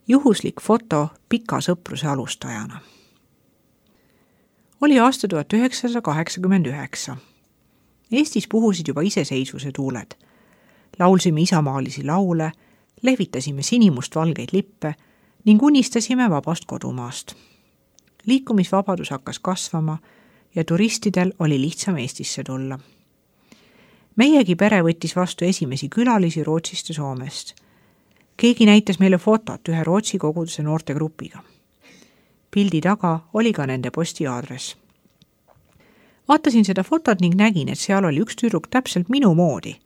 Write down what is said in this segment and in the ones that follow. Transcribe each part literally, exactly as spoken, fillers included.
Juhuslik foto pika sõpruse alustajana. Oli aasta tuhat üheksasada kaheksakümmend üheksa. Eestis puhusid juba iseseisvuse tuuled. Laulsime isamaalisi laule, lehvitasime sinimust-valgeid lippe ning unistasime vabast kodumaast. Liikumisvabadus hakkas kasvama ja turistidel oli lihtsam Eestisse tulla. Meiegi pere võttis vastu esimesi külalisi Rootsist ja Soomest. Keegi näitas meile fotot ühe Rootsi koguduse noortegrupiga. Pildi taga oli ka nende postiaadress. Vaatasin seda fotot ning nägin, et seal oli üks tüdruk täpselt minu moodi,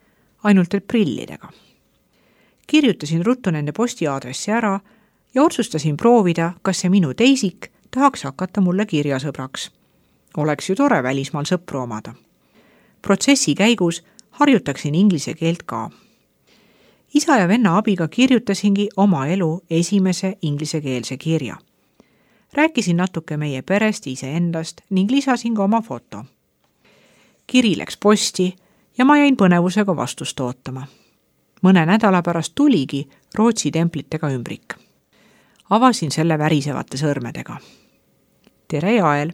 ainult et prillidega. Kirjutasin ruttu nende postiaadressi ära ja otsustasin proovida, kas see minu teisik tahaks hakata mulle kirjasõbraks. Oleks ju tore välismaal sõpru omada. Protsessi käigus harjutaksin inglise keelt ka. Isa ja venna abiga kirjutasingi oma elu esimese inglisekeelse kirja. Rääkisin natuke meie perest iseendast ning lisasin ka oma foto. Kiri läks posti ja ma jäin põnevusega vastust ootama. Mõne nädala pärast tuligi Rootsi templitega ümbrik. Avasin selle värisevate sõrmedega. Tere, Jael!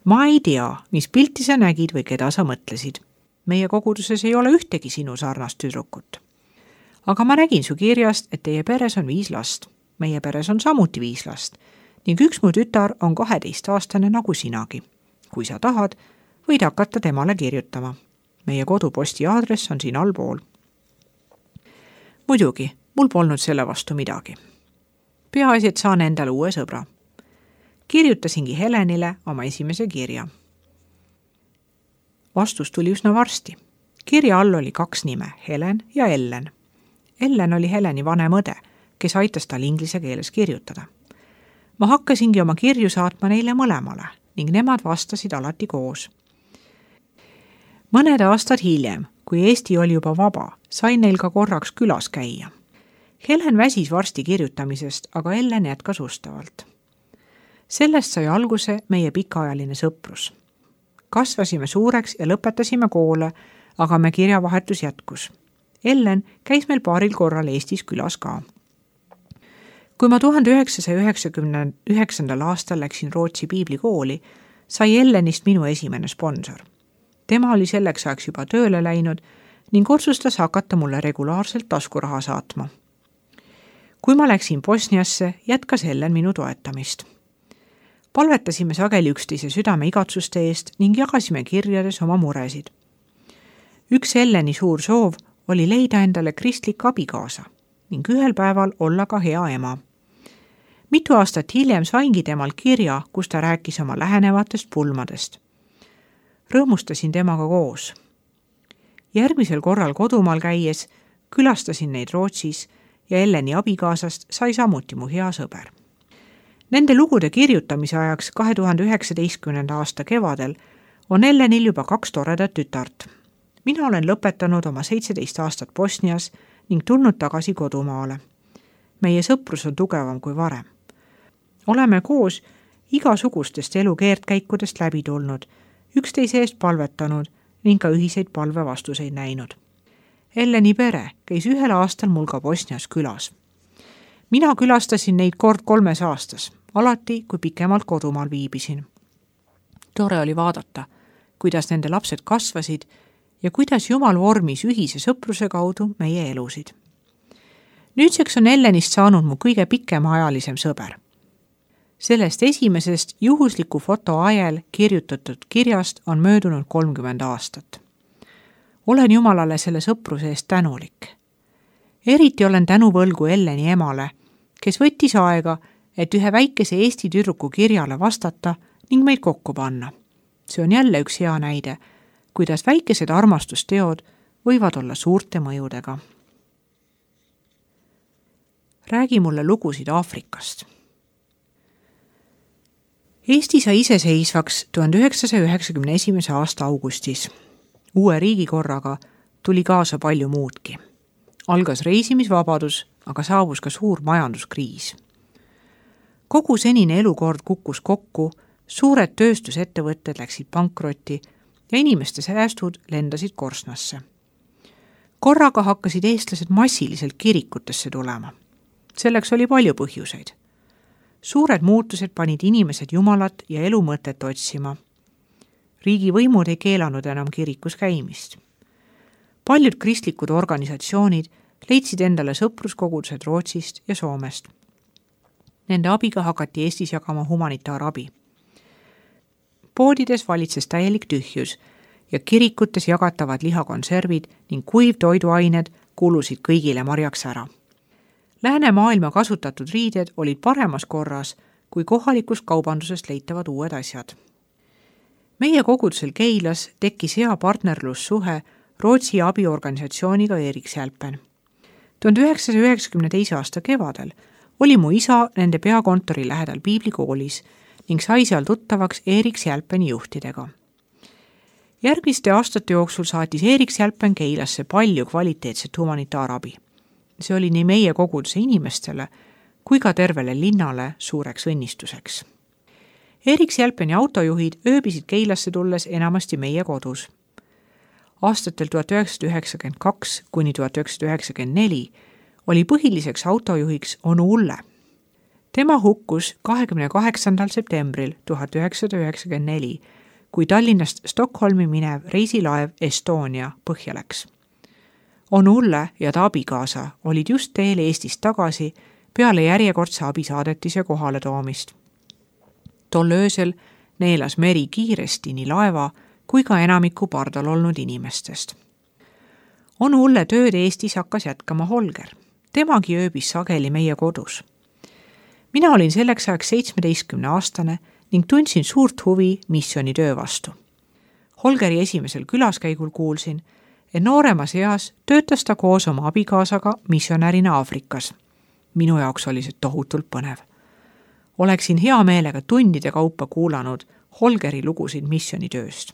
Ma ei tea, mis pilti sa nägid või keda sa mõtlesid. Meie koguduses ei ole ühtegi sinu sarnast tüdrukut. Aga ma nägin su kirjast, et teie peres on viis last. Meie peres on samuti viis last ning üks mu tütar on kaheteistaastane nagu sinagi. Kui sa tahad, võid hakata temale kirjutama. Meie koduposti aadress on siin allpool. Muidugi, mul polnud selle vastu midagi. Peaasi, et saan endale uue sõbra. Kirjutasingi Helenile oma esimese kirja. Vastus tuli üsna varsti. Kirja all oli kaks nime, Helen ja Ellen. Ellen oli Heleni vanem õde, kes aitas tal inglise keeles kirjutada. Ma hakkasingi oma kirju saatma neile mõlemale ning nemad vastasid alati koos. Mõned aastad hiljem, kui Eesti oli juba vaba, sain neil ka korraks külas käia. Helen väsis varsti kirjutamisest, aga Ellen jätkas ustavalt. Sellest sai alguse meie pikaajaline sõprus. Kasvasime suureks ja lõpetasime koole, aga me kirjavahetus jätkus. Ellen käis meil paaril korral Eestis külas ka. Kui ma tuhande üheksasaja üheksakümne üheksandal aastal läksin Rootsi piiblikooli, sai Ellenist minu esimene sponsor. Tema oli selleks ajaks juba tööle läinud ning otsustas hakata mulle regulaarselt taskuraha saatma. Kui ma läksin Bosniasse, jätkas Ellen minu toetamist. Palvetasime sageli üksteise südame igatsuste eest ning jagasime kirjades oma muresid. Üks Elleni suur soov oli leida endale kristlik abikaasa ning ühel päeval olla ka hea ema. Mitu aastat hiljem saingi temalt kirja, kus ta rääkis oma lähenevatest pulmadest. Rõõmustasin temaga koos. Järgmisel korral kodumaal käies külastasin neid Rootsis ja Elleni abikaasast sai samuti mu hea sõber. Nende lugude kirjutamise ajaks kahe tuhande üheksateistkümnenda aasta kevadel on Ellenil juba kaks toredat tütart. Mina olen lõpetanud oma seitseteist aastat Bosnias ning tulnud tagasi kodumaale. Meie sõprus on tugevam kui varem. Oleme koos igasugustest elu keerdkäikudest läbi tulnud, üksteise eest palvetanud ning ka ühiseid palvevastuseid näinud. Elleni pere käis ühel aastal mul ka Bosnias külas. Mina külastasin neid kord kolmes aastas, alati kui pikemalt kodumaal viibisin. Tore oli vaadata, kuidas nende lapsed kasvasid ja kuidas Jumal vormis ühise sõpruse kaudu meie elusid. Nüüdseks on Ellenist saanud mu kõige pikemaajalisem sõber. Sellest esimesest juhusliku foto ajel kirjutatud kirjast on möödunud kolmkümmend aastat. Olen Jumalale selle sõpruse eest tänulik. Eriti olen tänuvõlgu Elleni emale, kes võttis aega, et ühe väikese Eesti tüdruku kirjale vastata ning meid kokku panna. See on jälle üks hea näide, kuidas väikesed armastusteod võivad olla suurte mõjudega. Räägi mulle lugusid Aafrikast. Eesti sai iseseisvaks tuhande üheksasaja üheksakümne esimese aasta augustis. Uue riigikorraga tuli kaasa palju muudki. Algas reisimisvabadus, aga saabus ka suur majanduskriis. Kogu senine elukord kukkus kokku, suured tööstusettevõtted läksid pankrotti ja inimeste säästud lendasid korsnasse. Korraga hakkasid eestlased massiliselt kirikutesse tulema. Selleks oli palju põhjuseid. Suured muutused panid inimesed jumalat ja elu mõtet otsima. Riigivõimud ei keelanud enam kirikus käimist. Paljud kristlikud organisatsioonid leidsid endale sõpruskogudused Rootsist ja Soomest. Nende abiga hakati Eestis jagama humanitaarabi. Poodides valitses täielik tühjus ja kirikutes jagatavad lihakonservid ning kuivtoiduained kulusid kõigile marjaks ära. Läänemaailma kasutatud riided olid paremas korras kui kohalikust kaubandusest leitavad uued asjad. Meie kogudusel Keilas tekkis hea partnerlussuhe Rootsi abiorganisatsiooniga Eriksjälpen. tuhande üheksasaja üheksakümne teise aasta kevadel oli mu isa nende peakontori lähedal piiblikoolis ning sai seal tuttavaks Eriksjälpeni juhtidega. Järgmiste aastate jooksul saatis Eriksjälpen Keilasse palju kvaliteetset humanitaarabi. See oli nii meie koguduse inimestele kui ka tervele linnale suureks õnnistuseks. Eriksjälpeni autojuhid ööbisid Keilasse tulles enamasti meie kodus. Aastatel tuhat üheksasada üheksakümmend kaks kuni tuhat üheksasada üheksakümmend neli oli põhiliseks autojuhiks onu Ulle. Tema hukkus kahekümne kaheksandal septembril tuhat üheksasada üheksakümmend neli, kui Tallinnast Stockholmi minev reisilaev Estonia põhja läks. onu Ulle ja ta abikaasa olid just teel Eestist tagasi peale järjekordse abisaadetise kohale toomist. Tol öösel neelas meri kiiresti nii laeva kui ka enamiku pardal olnud inimestest. onu Ulle tööd Eestis hakkas jätkama Holger. Temagi ööbis sageli meie kodus. Mina olin selleks ajaks seitsmeteistkümne aastane ning tundsin suurt huvi missiooni töö vastu. Holgeri esimesel külaskäigul kuulsin, et nooremas eas töötas ta koos oma abikaasaga missionärina Aafrikas. Minu jaoks oli see tohutult põnev. Oleksin hea meelega tundide kaupa kuulanud Holgeri lugusid missioonitööst.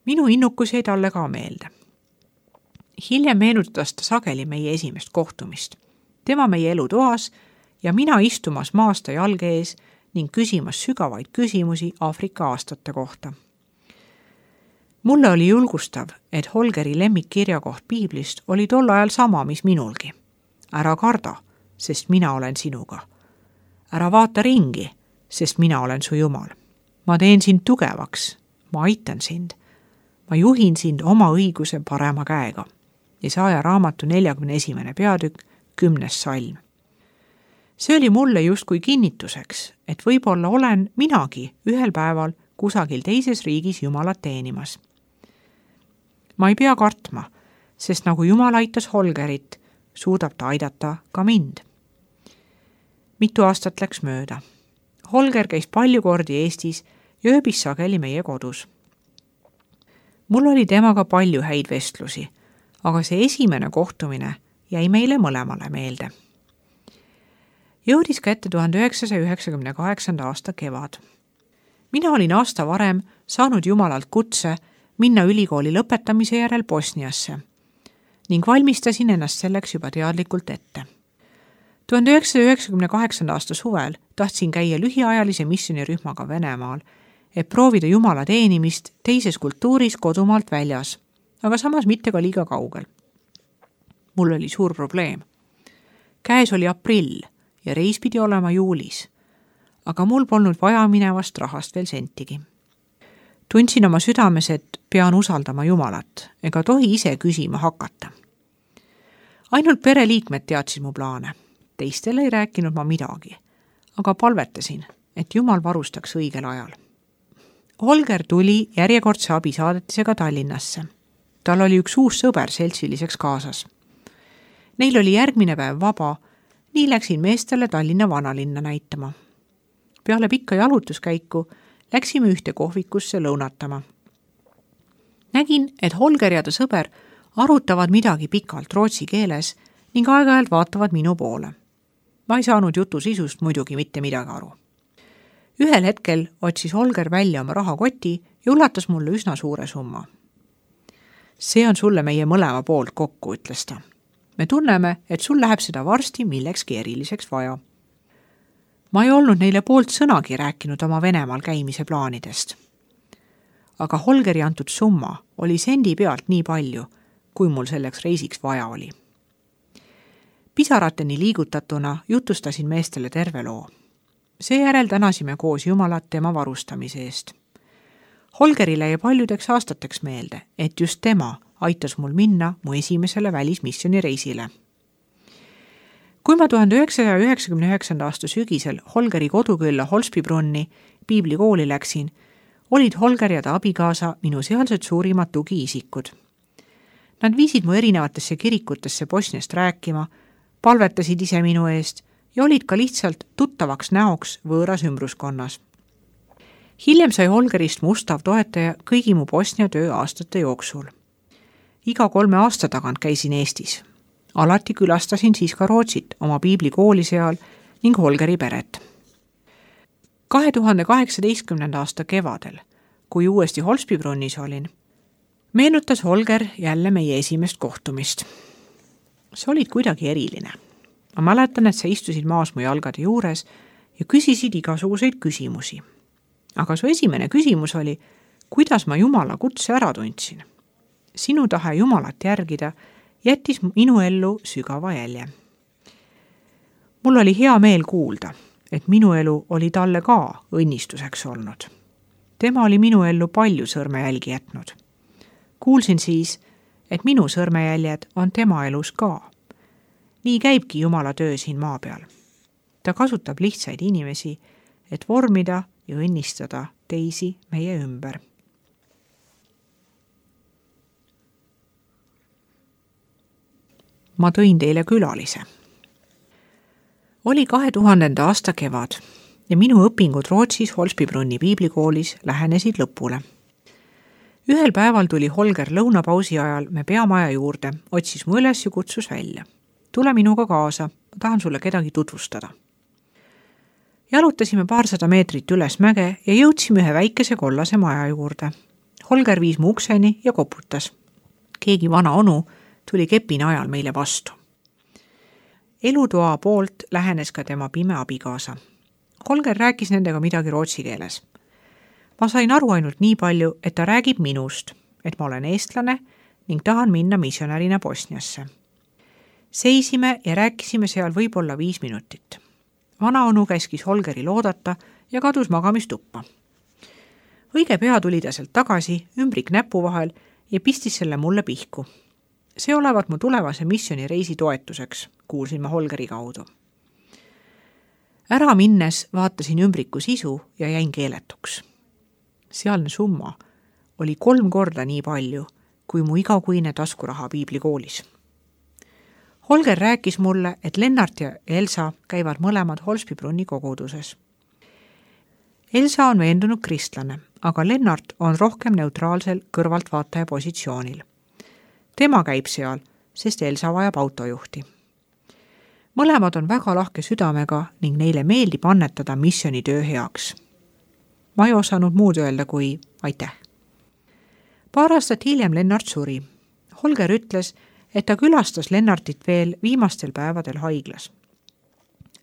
Minu innukus jäi talle ka meelde. Hiljem meenutas ta sageli meie esimest kohtumist. Tema meie elutoas ja mina istumas maasta jalge ees ning küsimas sügavaid küsimusi Aafrika aastate kohta. Mulle oli julgustav, et Holgeri lemmikkirjakoht piiblist oli tol ajal sama, mis minulgi. Ära karda, sest mina olen sinuga. Ära vaata ringi, sest mina olen su Jumal. Ma teen sind tugevaks, ma aitan sind. Ma juhin sind oma õiguse parema käega. Jesaja raamatu neljakümne esimene peatükk, kümnes salm. See oli mulle justkui kinnituseks, et võib-olla olen minagi ühel päeval kusagil teises riigis Jumalat teenimas. Ma ei pea kartma, sest nagu Jumal aitas Holgerit, suudab ta aidata ka mind. Mitu aastat läks mööda. Holger käis palju kordi Eestis ja ööbis sageli meie kodus. Mul oli temaga palju häid vestlusi, aga see esimene kohtumine jäi meile mõlemale meelde. Jõudis kätte tuhande üheksasaja üheksakümne kaheksanda aasta kevad. Mina olin aasta varem saanud Jumalalt kutse minna ülikooli lõpetamise järel Bosniasse ning valmistasin ennast selleks juba teadlikult ette. tuhande üheksasaja üheksakümne kaheksanda aasta suvel tahtsin käia lühiajalise missionirühmaga Venemaal, et proovida Jumala teenimist teises kultuuris kodumaalt väljas, aga samas mitte ka liiga kaugel. Mul oli suur probleem. Käes oli aprill ja reis pidi olema juulis, aga mul polnud vaja minevast rahast veel sentigi. Tundsin oma südames, et pean usaldama Jumalat ega tohi ise küsima hakata. Ainult pereliikmed teadsid mu plaane. Teistele ei rääkinud ma midagi, aga palvetasin, et Jumal varustaks õigel ajal. Holger tuli järjekordse abisaadetisega Tallinnasse. Tal oli üks uus sõber seltsiliseks kaasas. Neil oli järgmine päev vaba, nii läksin meestele Tallinna vanalinna näitama. Peale pikka jalutuskäiku läksime ühte kohvikusse lõunatama. Nägin, et Holger ja ta sõber arutavad midagi pikalt rootsi keeles ning aeg-ajalt vaatavad minu poole. Ma ei saanud jutu sisust muidugi mitte midagi aru. Ühel hetkel otsis Holger välja oma rahakoti ja ulatas mulle üsna suure summa. See on sulle meie mõlema poolt kokku, ütles ta. Me tunneme, et sul läheb seda varsti millekski eriliseks vaja. Ma ei olnud neile poolt sõnagi rääkinud oma Venemaal käimise plaanidest. Aga Holgeri antud summa oli sendi pealt nii palju, kui mul selleks reisiks vaja oli. Pisarateni liigutatuna jutustasin meestele terve loo. Seejärel tänasime koos Jumalat tema varustamise eest. Holgerile jäi paljudeks aastateks meelde, et just tema aitas mul minna mu esimesele välismissiooni reisile. Kui ma tuhande üheksasaja üheksakümne üheksanda aasta sügisel Holgeri kodukülla Holsbybrunni piiblikooli läksin, olid Holger ja ta abikaasa minu sealsed suurimad tugiisikud. Nad viisid mu erinevatesse kirikutesse Bosniast rääkima, palvetasid ise minu eest ja olid ka lihtsalt tuttavaks näoks võõras ümbruskonnas. Hiljem sai Holgerist mu ustav toetaja kõigi mu Bosnia töö aastate jooksul. Iga kolme aasta tagant käisin Eestis. Alati külastasin siis ka Rootsit oma piiblikooli seal ning Holgeri peret. kahe tuhande kaheksateistkümnenda aasta kevadel, kui uuesti Holsbybrunnis olin, meenutas Holger jälle meie esimest kohtumist. See olid kuidagi eriline. Ma mäletan, et sa istusid maas mu jalgade juures ja küsisid igasuguseid küsimusi. Aga su esimene küsimus oli, kuidas ma Jumala kutse ära tundsin. Sinu tahe Jumalat järgida jättis minu ellu sügava jälje. Mul oli hea meel kuulda, et minu elu oli talle ka õnnistuseks olnud. Tema oli minu ellu palju sõrmejälgi jätnud. Kuulsin siis, et minu sõrmejäljed on tema elus ka. Nii käibki Jumala töö siin maa peal. Ta kasutab lihtsaid inimesi, et vormida ja õnnistada teisi meie ümber. Ma tõin teile külalise. Oli kahe tuhandenda aasta kevad ja minu õpingud Rootsis Holsbybrunni piiblikoolis lähenesid lõpule. Ühel päeval tuli Holger lõunapausi ajal me peamaja juurde, otsis mu üles ja kutsus välja. Tule minuga kaasa, ma tahan sulle kedagi tutvustada. Jalutasime paarsada meetrit üles mäge ja jõudsime ühe väikese kollase maja juurde. Holger viis mu ukseni ja koputas. Keegi vana onu tuli kepina ajal meile vastu. Elutoa poolt lähenes ka tema pime abikaasa. Holger rääkis nendega midagi rootsi keeles. Ma sain aru ainult nii palju, et ta räägib minust, et ma olen eestlane ning tahan minna missionärina Bosniasse. Seisime ja rääkisime seal võib-olla viis minutit. Vana onu käskis Holgeril oodata ja kadus magamistuppa. Õige pea tuli ta sealt tagasi, ümbrik näpu vahel ja pistis selle mulle pihku. See olevat mu tulevase missiooni reisi toetuseks, kuulsin ma Holgeri kaudu. Ära minnes vaatasin ümbriku sisu ja jäin keeletuks. Sealne summa oli kolm korda nii palju, kui mu igakuine taskuraha piiblikoolis. Holger rääkis mulle, et Lennart ja Elsa käivad mõlemad Holsbybrunni koguduses. Elsa on veendunud kristlane, aga Lennart on rohkem neutraalsel kõrvaltvaataja positsioonil. Tema käib seal, sest Elsa vajab autojuhti. Mõlemad on väga lahke südamega ning neile meeldib annetada missioonitöö heaks. Ma ei osanud muud öelda kui aitäh. Paar aastat hiljem Lennart suri. Holger ütles, et ta külastas Lennartit veel viimastel päevadel haiglas.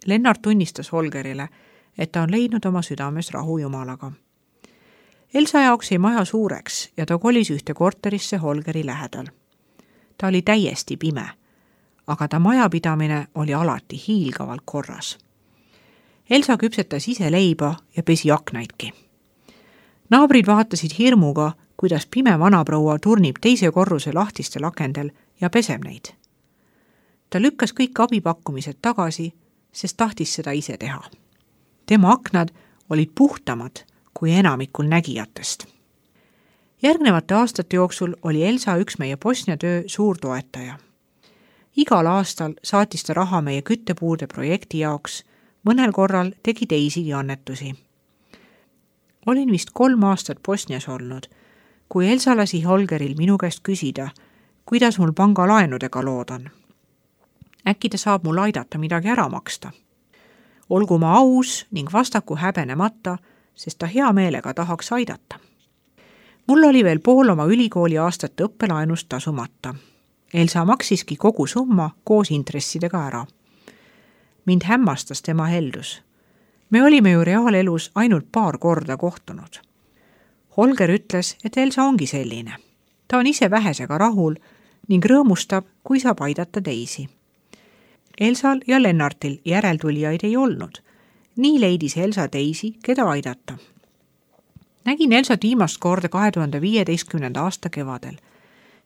Lennart tunnistas Holgerile, et ta on leidnud oma südames rahu Jumalaga. Elsa jaoks ei maja suureks ja ta kolis ühte korterisse Holgeri lähedal. Ta oli täiesti pime, aga ta majapidamine oli alati hiilgavalt korras. Elsa küpsetas ise leiba ja pesi aknaidki. Naabrid vaatasid hirmuga, kuidas pime vanaproua turnib teise korruse lahtistel akendel ja peseb neid. Ta lükkas kõik abipakkumised tagasi, sest tahtis seda ise teha. Tema aknad olid puhtamad kui enamikul nägijatest. Järgnevate aastate jooksul oli Elsa üks meie Bosnia töö suur toetaja. Igal aastal saatis ta raha meie küttepuude projekti jaoks, mõnel korral tegi teisigi annetusi. Olin vist kolm aastat Bosnias olnud, kui Elsa lasi Holgeril minu käest küsida, kuidas mul pangalaenudega lood on. Äkki ta saab mul aidata midagi ära maksta. Olgu ma aus ning vastaku häbenemata, sest ta hea meelega tahaks aidata. Mul oli veel pool oma ülikooli aastate õppelaenust tasumata. Elsa maksiski kogu summa koos intressidega ära. Mind hämmastas tema heldus. Me olime ju reaalelus ainult paar korda kohtunud. Holger ütles, et Elsa ongi selline. Ta on ise vähesega rahul ning rõõmustab, kui saab aidata teisi. Elsal ja Lennartil järeltulijaid ei olnud. Nii leidis Elsa teisi, keda aidata. Nägin Elsat viimast korda kahe tuhande viieteistkümnenda aasta kevadel.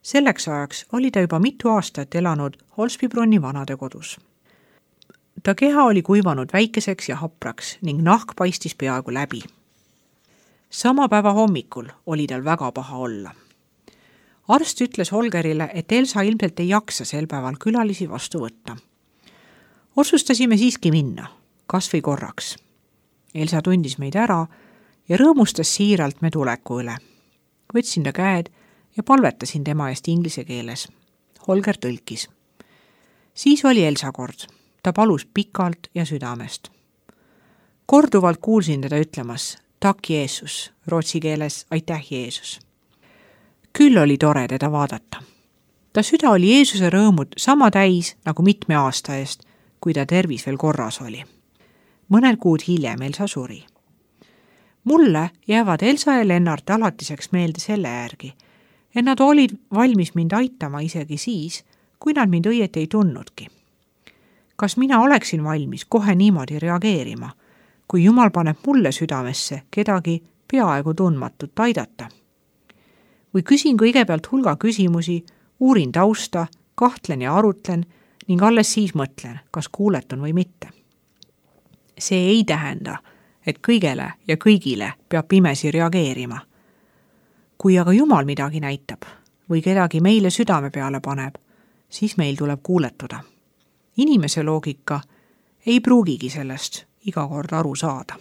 Selleks ajaks oli ta juba mitu aastat elanud Holsbybrunni vanadekodus. Ta keha oli kuivanud väikeseks ja hapraks ning nahk paistis peaaegu läbi. Sama päeva hommikul oli tal väga paha olla. Arst ütles Holgerile, et Elsa ilmselt ei jaksa sel päeval külalisi vastu võtta. Otsustasime siiski minna, kas või korraks. Elsa tundis meid ära ja rõõmustas siiralt me tuleku üle. Võtsin ta käed ja palvetasin tema eest inglise keeles. Holger tõlkis. Siis oli Elsa kord. Ta palus pikalt ja südamest. Korduvalt kuulsin teda ütlemas tak Jeesus, rootsi keeles aitäh Jeesus. Küll oli tore teda vaadata. Ta süda oli Jeesuse rõõmud sama täis nagu mitme aasta eest, kui ta tervis veel korras oli. Mõned kuud hiljem Elsa suri. Mulle jäävad Elsa ja Lennart alatiseks meelde selle järgi, et nad olid valmis mind aitama isegi siis, kui nad mind õieti ei tundnudki. Kas mina oleksin valmis kohe niimoodi reageerima, kui Jumal paneb mulle südamesse kedagi peaaegu tundmatut aidata? Või küsin kõigepealt hulga küsimusi, uurin tausta, kahtlen ja arutlen ning alles siis mõtlen, kas kuuletun või mitte. See ei tähenda, et kõigele ja kõigile peab pimesi reageerima. Kui aga Jumal midagi näitab või kedagi meile südame peale paneb, siis meil tuleb kuuletuda. Inimese loogika ei pruugigi sellest iga kord aru saada.